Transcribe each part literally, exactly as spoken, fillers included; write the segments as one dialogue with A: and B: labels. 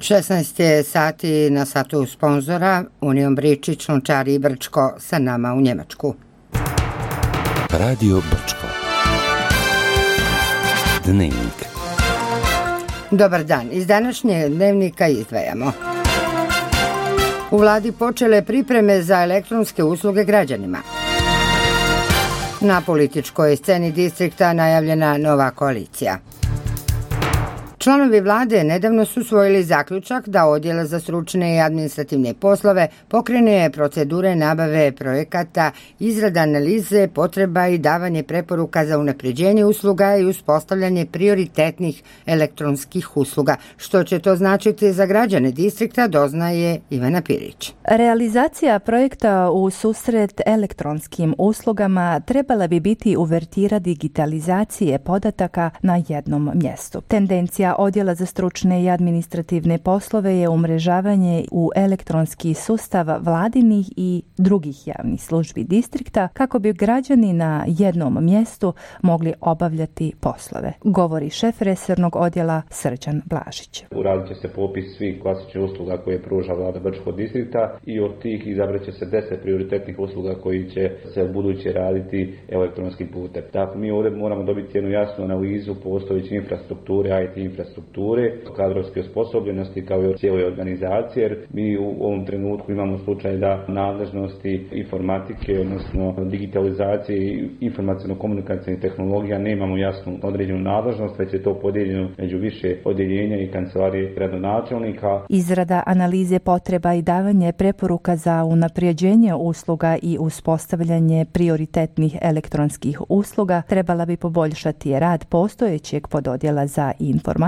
A: šesnaest je sati na satu sponzora Union Bričić, Lončari i Brčko, sa nama u Njemačku.
B: Radio Brčko. Dnevnik.
A: Dobar dan. Iz današnje dnevnika izdvajamo. U vladi počele pripreme za elektronske usluge građanima. Na političkoj sceni distrikta najavljena nova koalicija. Članovi vlade nedavno su usvojili zaključak da Odjel za stručne i administrativne poslove pokrene procedure nabave projekata, izrada analize potreba i davanje preporuka za unapređenje usluga i uspostavljanje prioritetnih elektronskih usluga. Što će to značiti za građane distrikta, doznaje Ivana Pirić.
C: Realizacija projekta u susret elektronskim uslugama trebala bi biti uvertira digitalizacije podataka na jednom mjestu. Tendencija Odjela za stručne i administrativne poslove je umrežavanje u elektronski sustav vladinih i drugih javnih službi distrikta kako bi građani na jednom mjestu mogli obavljati poslove, govori šef resornog odjela Srđan Blažić.
D: Uradit će se popis svih klasičnih usluga koje pruža vlada Brčkog distrikta i od tih izabrat će se deset prioritetnih usluga koji će se u buduće raditi elektronskim putem. Dakle, mi ovdje moramo dobiti jednu jasnu analizu postojeće infrastrukture, I T infrastrukture, kadrovske osposobljenosti kao i cijele organizacije, jer mi u ovom trenutku imamo slučaj da nadležnosti informatike, odnosno digitalizacije i informacijno-komunikacijnih tehnologija nemamo jasnu određenu nadležnost, već je to podijeljeno među više odjeljenja i kancelarije gradonačelnika.
C: Izrada analize potreba i davanje preporuka za unapređenje usluga i uspostavljanje prioritetnih elektronskih usluga trebala bi poboljšati rad postojećeg pododjela za informatiku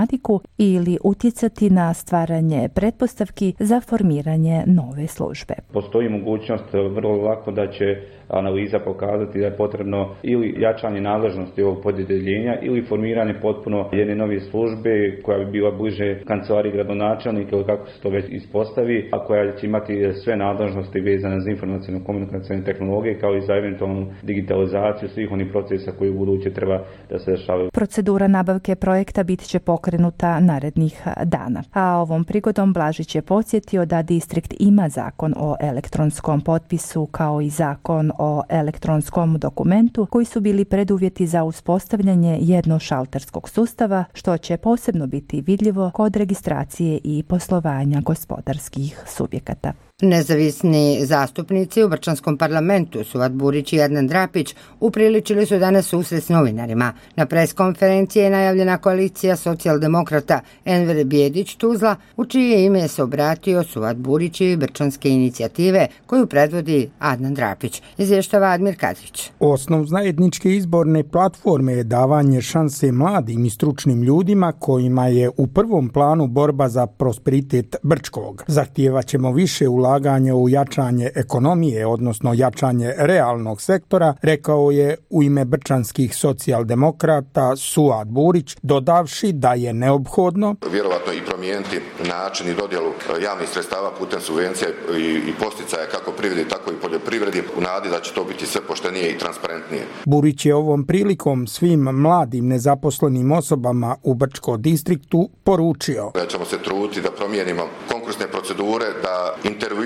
C: ili utjecati na stvaranje pretpostavki za formiranje nove službe.
D: Postoji mogućnost vrlo lako da će analiza pokazati da je potrebno ili jačanje nadležnosti ovog podjeljenja ili formiranje potpuno jedne nove službe koja bi bila bliže kancelariji gradonačelnika ili kako se to već ispostavi, a koja će imati sve nadležnosti vezane za informacijno-komunikacijne tehnologije kao i za eventualnu digitalizaciju svih onih procesa koji u buduće treba da se dešavaju.
C: Procedura nabavke projekta bit će pokrenuta narednih dana. A ovom prigodom Blažić je podsjetio da distrikt ima zakon o elektronskom potpisu kao i zakon o elektronskom dokumentu koji su bili preduvjeti za uspostavljanje jednošalterskog sustava, što će posebno biti vidljivo kod registracije i poslovanja gospodarskih subjekata.
A: Nezavisni zastupnici u Brčanskom parlamentu Suad Burić i Adnan Drapić upriličili su danas susret s novinarima. Na preskonferenciji je najavljena koalicija socijaldemokrata Enver Bijedić-Tuzla, u čije ime se obratio Suad Burić i Brčanske inicijative koju predvodi Adnan Drapić. Izvještava Admir Kadrić.
E: Osnov zajedničke izborne platforme je davanje šanse mladim i stručnim ljudima kojima je u prvom planu borba za prosperitet Brčkog. Zahtijevaćemo više ulaganja ulaganje u jačanje ekonomije, odnosno jačanje realnog sektora, rekao je u ime brčanskih socijaldemokrata Suad Burić, dodavši da je neophodno
F: vjerovatno i promijeniti način i dodjelu javnih sredstava putem subvencija i, i posticaja kako privredi, tako i poljoprivredi u nadi da će to biti sve poštenije i transparentnije.
E: Burić je ovom prilikom svim mladim nezaposlenim osobama u Brčkom distriktu poručio
F: da ćemo se truditi da promijenimo konkursne procedure, da intervjue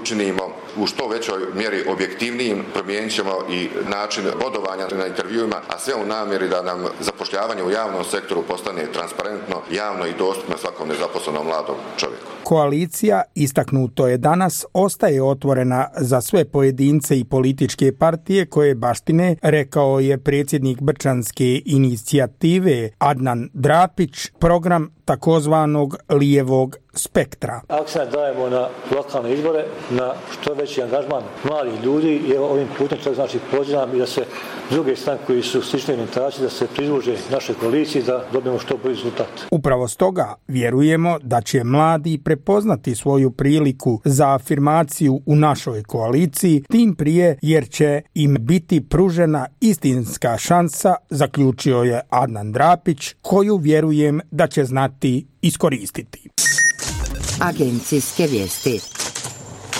F: učinimo u što većoj mjeri objektivnijim, promijenit ćemo i način bodovanja na intervjuima, a sve u namjeri da nam zapošljavanje u javnom sektoru postane transparentno, javno i dostupno svakom nezaposlenom mladom čovjeku.
E: Koalicija, istaknuto je danas, ostaje otvorena za sve pojedince i političke partije koje baštine, rekao je predsjednik Brčanske inicijative Adnan Drapić, program takozvanog lijevog spektra.
G: Akcent dajemo na lokalne izbore, na što veći angažman mladih ljudi i ovim putem to znači pozivam i da se druge stranke koji su slične orijentacije da se pridruže našoj koaliciji da dobijemo što bolji rezultat.
E: Upravo stoga vjerujemo da će mladi prepoznati svoju priliku za afirmaciju u našoj koaliciji, tim prije jer će im biti pružena istinska šansa, zaključio je Adnan Drapić, koju vjerujem da će znati iskoristiti.
A: Agencijske vijesti.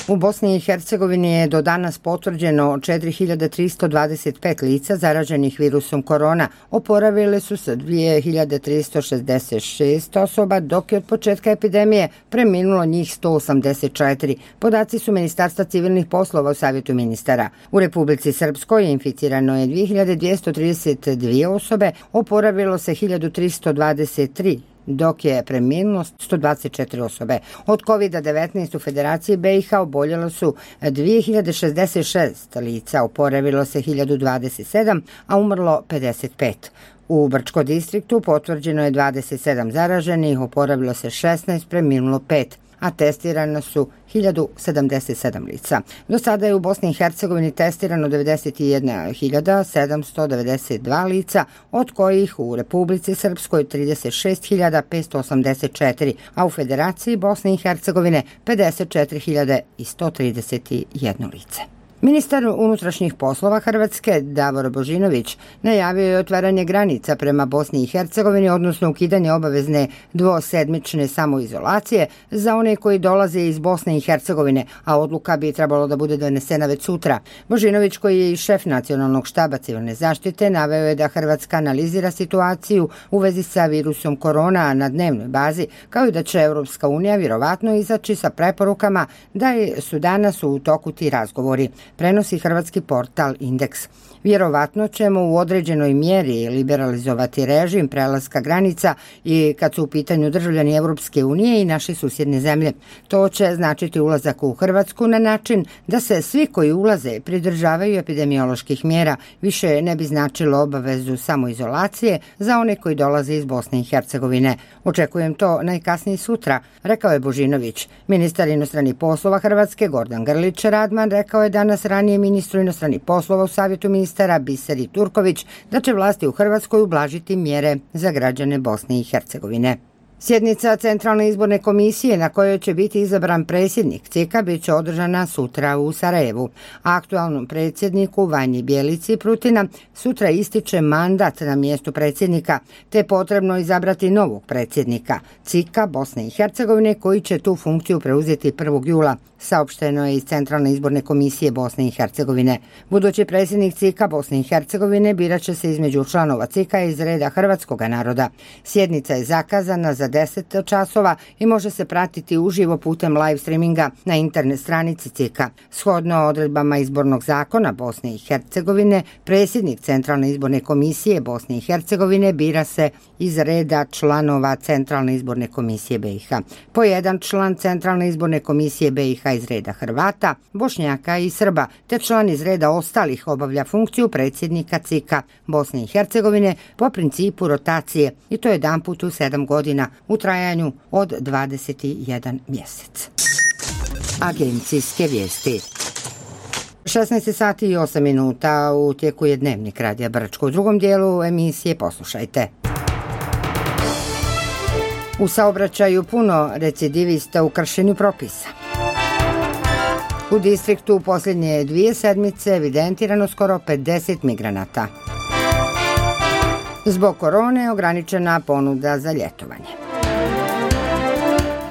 A: U Bosni i Hercegovini je do danas potvrđeno četiri hiljade tristo dvadeset pet lica zaraženih virusom korona. Oporavile su se dvije hiljade tristo šezdeset šest osoba, dok je od početka epidemije preminulo njih sto osamdeset četiri. Podaci su Ministarstva civilnih poslova u Savjetu ministara. U Republici Srpskoj inficirano je dvije hiljade dvjesto trideset dvije osobe, oporavilo se hiljadu tristo dvadeset tri, dok je preminulo sto dvadeset četiri osobe. Od kovid devetnaest u Federaciji B i H oboljelo su dvije hiljade šezdeset šest lica, oporavilo se hiljadu dvadeset sedam, a umrlo pedeset pet. U Brčko distriktu potvrđeno je dvadeset sedam zaraženih, oporavilo se šesnaest, preminulo pet, a testirano su hiljadu sedamdeset sedam lica. Do sada je u Bosni i Hercegovini testirano devedeset jedna hiljada sedamsto devedeset dva lica, od kojih u Republici Srpskoj trideset šest hiljada petsto osamdeset četiri, a u Federaciji Bosne i Hercegovine pedeset četiri hiljade sto trideset jedno lice. Ministar unutrašnjih poslova Hrvatske Davor Božinović najavio je otvaranje granica prema Bosni i Hercegovini, odnosno ukidanje obavezne dvosedmične samoizolacije za one koji dolaze iz Bosne i Hercegovine, a odluka bi trebalo da bude donesena već sutra. Božinović, koji je i šef nacionalnog štaba civilne zaštite, naveo je da Hrvatska analizira situaciju u vezi sa virusom korona na dnevnoj bazi, kao i da će Europska unija vjerovatno izaći sa preporukama da su danas u toku ti razgovori. Prenosi hrvatski portal Indeks. Vjerovatno ćemo u određenoj mjeri liberalizovati režim prelaska granica i kad su u pitanju državljani Europske unije i naše susjedne zemlje. To će značiti ulazak u Hrvatsku na način da se svi koji ulaze pridržavaju epidemioloških mjera. Više ne bi značilo obavezu samoizolacije za one koji dolaze iz Bosne i Hercegovine. Očekujem to najkasnije sutra, rekao je Božinović. Ministar inostranih poslova Hrvatske Gordan Grlić Radman rekao je danas ranije ministru inostranih poslova u Savjetu ministara Biseri Turković da će vlasti u Hrvatskoj ublažiti mjere za građane Bosne i Hercegovine. Sjednica Centralne izborne komisije na kojoj će biti izabran predsjednik C I K-a bit će održana sutra u Sarajevu. Aktualnom predsjedniku Vanji Bjelici Prutina sutra ističe mandat na mjestu predsjednika, te je potrebno izabrati novog predsjednika C I K-a Bosne i Hercegovine koji će tu funkciju preuzeti prvog jula, saopšteno je iz Centralne izborne komisije Bosne i Hercegovine. Budući predsjednik C I K-a Bosne i Hercegovine birat će se između članova C I K-a iz reda hrvatskog naroda. Sjednica je zakazana za deset časova i može se pratiti uživo putem live streaminga na internet stranici C I K-a. Shodno odredbama izbornog zakona Bosne i Hercegovine, predsjednik Centralne izborne komisije Bosne i Hercegovine bira se iz reda članova Centralne izborne komisije B i H. Po jedan član Centralne izborne komisije B i H iz reda Hrvata, Bošnjaka i Srba, te član iz reda ostalih obavlja funkciju predsjednika C I K-a Bosne i Hercegovine po principu rotacije, i to jedanput u sedam godina u trajanju od dvadeset jedan mjesec. Agencijske vijesti. šesnaest sati i osam minuta, u tijeku je dnevnik Radija Brčko. U drugom dijelu emisije poslušajte. U saobraćaju puno recidivista u kršenju propisa. U distriktu u posljednje dvije sedmice evidentirano skoro pedeset migranata. Zbog korone ograničena ponuda za ljetovanje.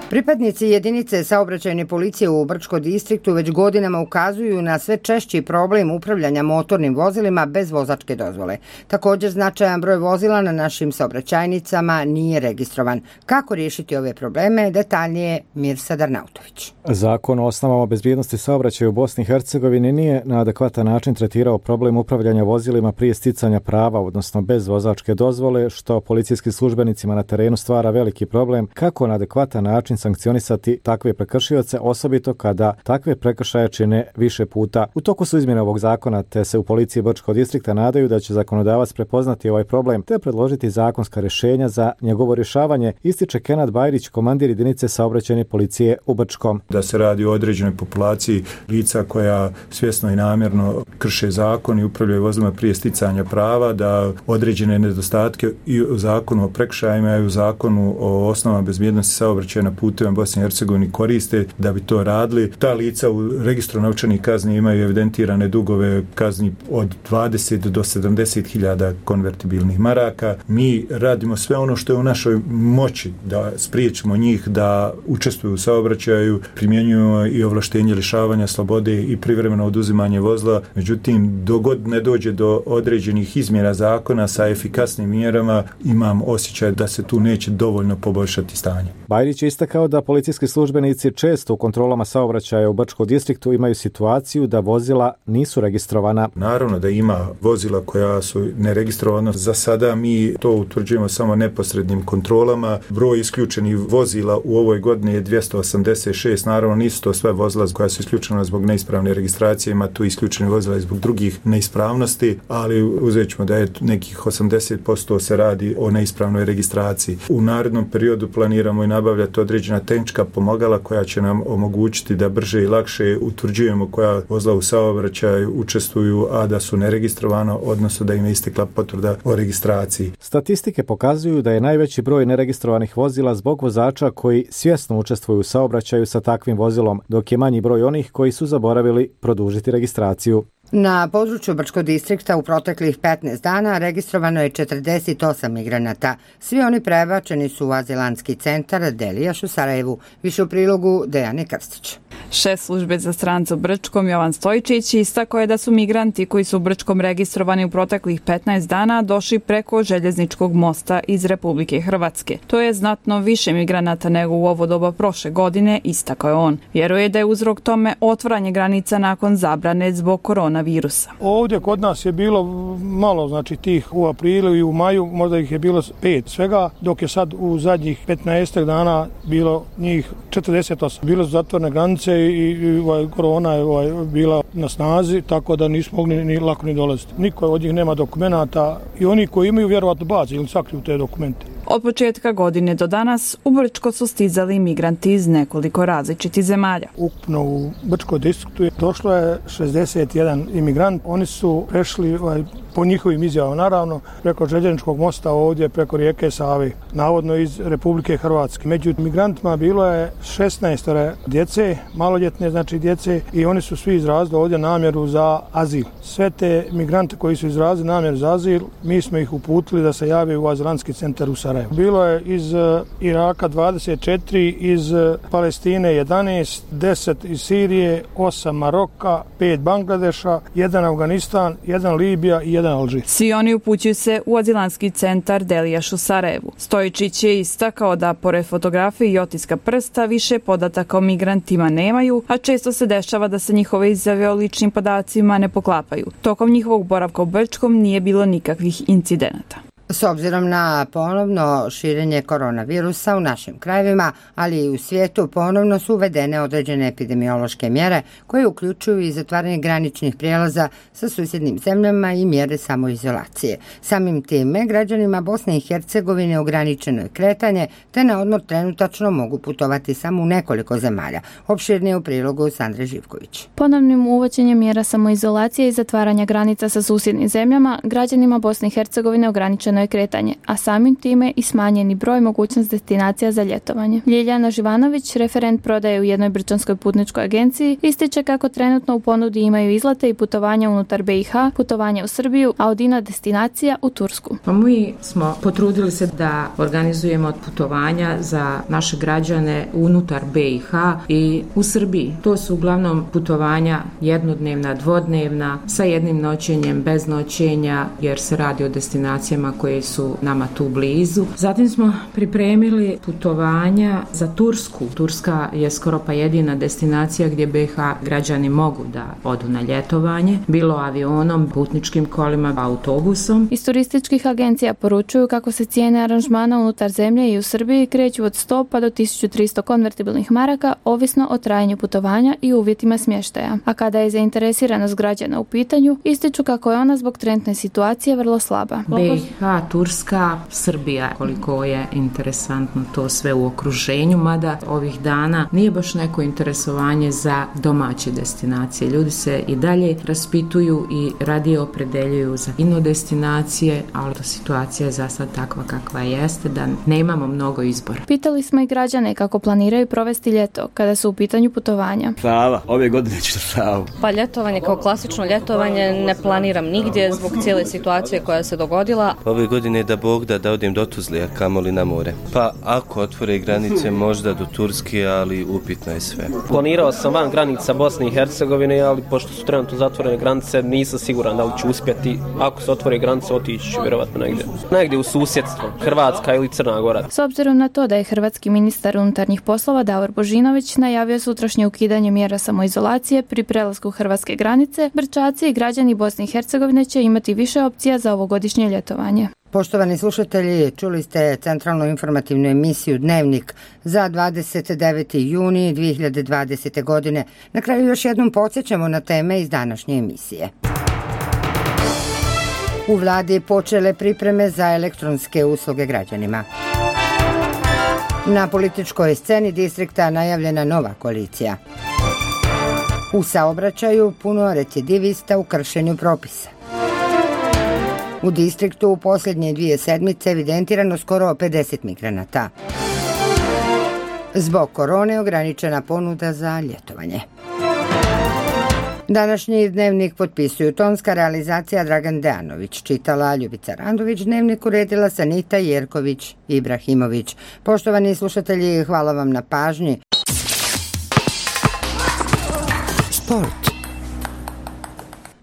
A: Pripadnici jedinice saobraćajne policije u Brčko distriktu već godinama ukazuju na sve češći problem upravljanja motornim vozilima bez vozačke dozvole. Također značajan broj vozila na našim saobraćajnicama nije registrovan. Kako riješiti ove probleme? Detaljnije Mirsa Darnautović.
H: Zakon o osnovama bezbjednosti saobraćaja u Bosni i Hercegovini nije na adekvatan način tretirao problem upravljanja vozilima prije sticanja prava, odnosno bez vozačke dozvole, što policijskim službenicima na terenu stvara veliki problem kako na adekvatan način sankcionisati takve prekršioce, osobito kada takve prekršaje čine više puta. U toku su izmjene ovog zakona, te se u policiji Brčkog distrikta nadaju da će zakonodavac prepoznati ovaj problem te predložiti zakonska rješenja za njegovo rješavanje, ističe Kenad Bajrić, komandir jedinice saobraćajne policije u Brčkom.
I: Da se radi o određenoj populaciji lica koja svjesno i namjerno krše zakon i upravljaju vozilima prije sticanja prava, da određene nedostatke i u zakonu o prekršajima i u zakonu o osnovama bezbjednosti saobraćaja na putu putevima Bosne i Hercegovine koriste da bi to radili. Ta lica u registru novčanih kazni imaju evidentirane dugove kazni od dvadeset do sedamdeset hiljada konvertibilnih maraka. Mi radimo sve ono što je u našoj moći da spriječimo njih da učestvuju u saobraćaju, primjenjujemo i ovlaštenje lišavanja slobode i privremeno oduzimanje vozila. Međutim, dogod ne dođe do određenih izmjena zakona sa efikasnim mjerama, imam osjećaj da se tu neće dovoljno poboljšati stanje.
H: Bajrić je istakao da policijski službenici često u kontrolama saobraćaja u Brčkom distriktu imaju situaciju da vozila nisu registrovana.
I: Naravno da ima vozila koja su neregistrovana. Za sada mi to utvrđujemo samo neposrednim kontrolama. Broj isključenih vozila u ovoj godini je dvjesto osamdeset šest. Naravno nisu to sve vozila koja su isključena zbog neispravne registracije, ima tu isključenih vozila i zbog drugih neispravnosti, ali uzet ćemo da je nekih osamdeset posto se radi o neispravnoj registraciji. U narednom periodu planiramo i nabavljati određena tehnička pomagala koja će nam omogućiti da brže i lakše utvrđujemo koja vozila u saobraćaju učestvuju, a da su neregistrovana, odnosno da im je istekla potvrda o registraciji.
H: Statistike pokazuju da je najveći broj neregistrovanih vozila zbog vozača koji svjesno učestvuju u saobraćaju sa takvim vozilom, dok je manji broj onih koji su zaboravili produžiti registraciju.
A: Na području Brčkog distrikta u proteklih petnaest dana registrovano je četrdeset osam migranata. Svi oni prebačeni su u azilanski centar Delijaš u Sarajevu. Više u prilogu Dejane Krstić.
J: Šef službe za strance u Brčkom Jovan Stojičić istakao je da su migranti koji su u Brčkom registrovani u proteklih petnaest dana došli preko željezničkog mosta iz Republike Hrvatske. To je znatno više migranata nego u ovo doba prošle godine, istakao je on. Vjeruje da je uzrok tome otvaranje granica nakon zabrane zbog koronavirusa.
K: Ovdje kod nas je bilo malo, znači tih u aprilu i u maju, možda ih je bilo pet svega, dok je sad u zadnjih petnaest dana bilo njih četrdeset osam. Bilo su zatvorene granice i, i ovaj, korona je ovaj, bila na snazi, tako da nismo mogli ni lako ni dolaziti. Niko od njih nema dokumenata i oni koji imaju vjerovatno bazi ili sakriju te dokumente.
J: Od početka godine do danas u Brčko su stizali migranti iz nekoliko različitih zemalja.
K: Ukupno u Brčkom distriktu je došlo je šezdeset jedan imigrant. Oni su prešli ovaj, po njihovim izjavama, naravno, preko željezničkog mosta ovdje, preko rijeke Save, navodno iz Republike Hrvatske. Među migrantima bilo je šesnaest djece, maloljetne znači djece, i oni su svi izrazili ovdje namjeru za azil. Sve te migrante koji su izrazili namjeru za azil, mi smo ih uputili da se jave u azilanski centar u Sarajevu. Bilo je iz Iraka dvadeset četiri, iz Palestine jedanaest, deset iz Sirije, osam Maroka, pet Bangladeša, jedan Afganistan, jedan Libija i jedan Alžir.
J: Svi oni upućuju se u azilanski centar Delijaš u Sarajevu. Stojičić je istakao da pored fotografije i otiska prsta više podataka o migrantima nemaju, a često se dešava da se njihove izjave o ličnim podacima ne poklapaju. Tokom njihovog boravka u Brčkom nije bilo nikakvih incidenata.
A: S obzirom na ponovno širenje koronavirusa u našim krajevima, ali i u svijetu, ponovno su uvedene određene epidemiološke mjere koje uključuju i zatvaranje graničnih prijelaza sa susjednim zemljama i mjere samoizolacije. Samim time, građanima Bosne i Hercegovine ograničeno je kretanje, te na odmor trenutačno mogu putovati samo u nekoliko zemalja. Opširnije u prilogu Sandre Živković.
L: Ponovnim uvođenjem mjera samoizolacije i zatvaranja granica sa susjednim zemljama, građanima Bosne i Hercegovine ograničeno je kretanje, a samim time i smanjeni broj mogućnost destinacija za ljetovanje. Ljiljana Živanović, referent prodaje u jednoj brčanskoj putničkoj agenciji, ističe kako trenutno u ponudi imaju izlete i putovanja unutar B i H, putovanja u Srbiju, a od ina destinacija u Tursku.
M: Pa mi smo potrudili se da organizujemo putovanja za naše građane unutar B i H i u Srbiji. To su uglavnom putovanja jednodnevna, dvodnevna, sa jednim noćenjem, bez noćenja, jer se radi o destinacijama koje su nama tu blizu. Zatim smo pripremili putovanja za Tursku. Turska je skoro pa jedina destinacija gdje B i H građani mogu da odu na ljetovanje, bilo avionom, putničkim kolima, autobusom.
L: Iz turističkih agencija poručuju kako se cijene aranžmana unutar zemlje i u Srbiji kreću od sto pa do tisuću tristo konvertibilnih maraka, ovisno o trajanju putovanja i uvjetima smještaja. A kada je zainteresiranost građana u pitanju, ističu kako je ona zbog trenutne situacije vrlo slaba.
M: B i H Turska, Srbija, koliko je interesantno to sve u okruženju, mada ovih dana nije baš neko interesovanje za domaće destinacije. Ljudi se i dalje raspituju i radije opredeljuju za ino destinacije, ali situacija je za sad takva kakva jeste, da nemamo mnogo izbora.
L: Pitali smo i građane kako planiraju provesti ljeto kada su u pitanju putovanja.
N: Sava, ove godine ću Savu.
O: Pa ljetovanje kao klasično ljetovanje ne planiram nigdje zbog cijele situacije koja se dogodila.
P: Ove godine da Bog da da odem do Tuzle, a kamoli na more. Pa ako otvore granice možda do Turske, ali upitno je sve.
Q: Planirao sam van granica Bosne i Hercegovine, ali pošto su trenutno zatvorene granice, nisam siguran da li ću uspjeti. Ako se otvore granice, otići ću vjerovatno negdje. Negdje u susjedstvo, Hrvatska ili Crna Gora.
L: S obzirom na to da je hrvatski ministar unutarnjih poslova Davor Božinović najavio sutrašnje ukidanje mjera samoizolacije pri prelasku hrvatske granice, Brčaci i građani Bosne i Hercegovine će imati više opcija za ovogodišnje ljetovanje.
A: Poštovani slušatelji, čuli ste centralnu informativnu emisiju Dnevnik za dvadeset deveti juni dvije hiljade dvadesete. godine. Na kraju još jednom podsjećamo na teme iz današnje emisije. U vladi počele pripreme za elektronske usluge građanima. Na političkoj sceni distrikta najavljena nova koalicija. U saobraćaju puno recidivista u kršenju propisa. U distriktu u posljednje dvije sedmice evidentirano skoro pedeset migranata. Zbog korone ograničena ponuda za ljetovanje. Današnji Dnevnik potpisuju tonska realizacija Dragan Dejanović, čitala Ljubica Randović, Dnevnik uredila Sanita Jerković Ibrahimović. Poštovani slušatelji, hvala vam na pažnji. Sport.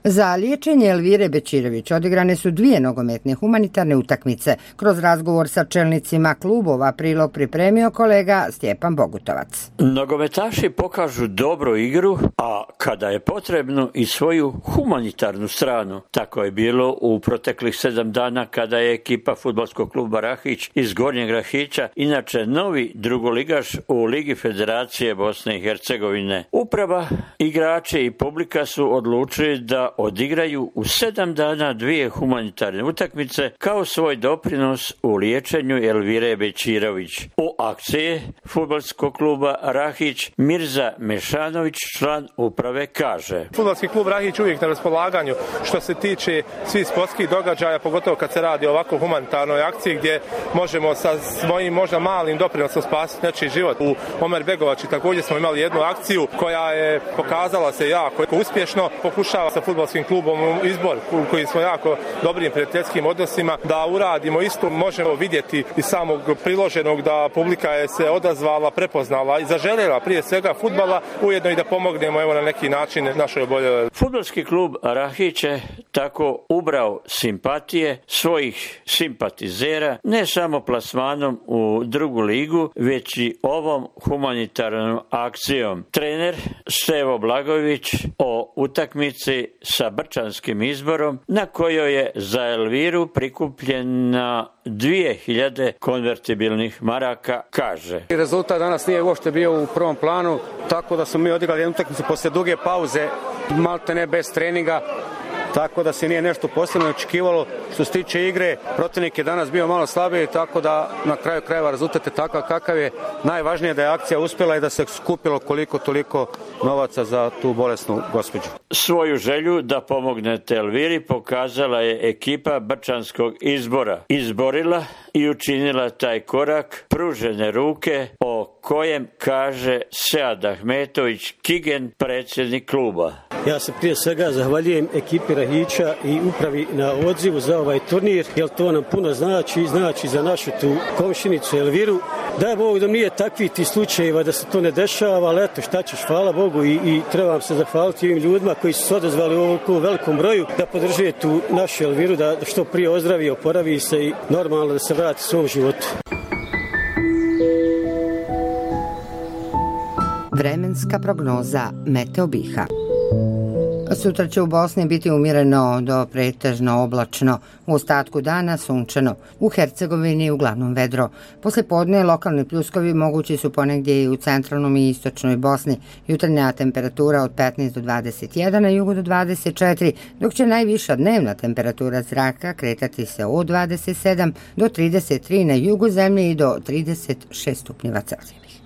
A: Za liječenje Elvire Bećirović odigrane su dvije nogometne humanitarne utakmice. Kroz razgovor sa čelnicima klubova prilog pripremio kolega Stjepan Bogutovac.
R: Nogometaši pokažu dobru igru, a kada je potrebno i svoju humanitarnu stranu. Tako je bilo u proteklih sedam dana kada je ekipa fudbalskog kluba Rahić iz Gornjeg Rahića, inače novi drugoligaš u Ligi Federacije Bosne i Hercegovine. Uprava, igrači i publika su odlučili da odigraju u sedam dana dvije humanitarne utakmice kao svoj doprinos u liječenju Elvire Bećirović. U akciji fudbalskog kluba Rahić Mirza Mešanović, član uprave, kaže:
S: Fudbalski klub Rahić uvijek na raspolaganju što se tiče svih sportskih događaja, pogotovo kad se radi o ovako humanitarnoj akciji gdje možemo sa svojim možda malim doprinosom spasiti nečiji život. U Omer Begovači također smo imali jednu akciju koja je pokazala se jako uspješno. Pokušava sa fudbalskim klubom Izbor, koji smo jako dobrim prijateljskim odnosima, da uradimo isto. Možemo vidjeti iz samog priloženog da publika je se odazvala, prepoznala i zaželjela prije svega fudbala, ujedno i da pomognemo evo na neki način našoj oboljeloj.
R: Fudbalski klub Rahić je tako ubrao simpatije svojih simpatizera ne samo plasmanom u drugu ligu, već i ovom humanitarnom akcijom. Trener Stevo Blagojević o utakmici sa Brčanskim Izborom, na kojoj je za Elviru prikupljena dvije hiljade konvertibilnih maraka, kaže:
T: Rezultat danas nije uopšte bio u prvom planu, tako da smo mi odigrali jednu utakmicu poslije duge pauze, malte ne bez treninga, tako da se nije nešto posebno očekivalo. Što se tiče igre, protivnik je danas bio malo slabiji, tako da na kraju krajeva rezultat je takav kakav je. Najvažnije je da je akcija uspjela i da se skupilo koliko toliko novaca za tu bolesnu gospođu.
R: Svoju želju da pomognete Elviri pokazala je ekipa Brčanskog Izbora. Izborila i učinila taj korak pružene ruke o kojem kaže Sead Ahmetović Kigen, predsjednik kluba.
U: Ja se prije svega zahvaljujem ekipi Rahića i upravi na odzivu za ovaj turnir, jer to nam puno znači, znači za našu tu komšinicu Elviru. Daj Bog da nije takvih ti slučajeva da se to ne dešava, ali eto šta ćeš, hvala Bogu i, i trebam se zahvaliti ovim ljudima koji su se odazvali u ovom velikom broju da podrže tu našu Elviru, da što prije ozdravi, oporavi se i normalno da se vrati svom životu.
A: Vremenska prognoza Meteo Biha. Sutra će u Bosni biti umjereno do pretežno oblačno, u ostatku dana sunčano, u Hercegovini uglavnom vedro. Posle podne lokalni pljuskovi mogući su ponegdje i u centralnom i istočnoj Bosni. Jutarnja temperatura od petnaest do dvadeset jedan, na jugu do dvadeset četiri, dok će najviša dnevna temperatura zraka kretati se od dvadeset sedam do trideset tri na jugu zemlje i do trideset šest stupnjeva Celzijevih.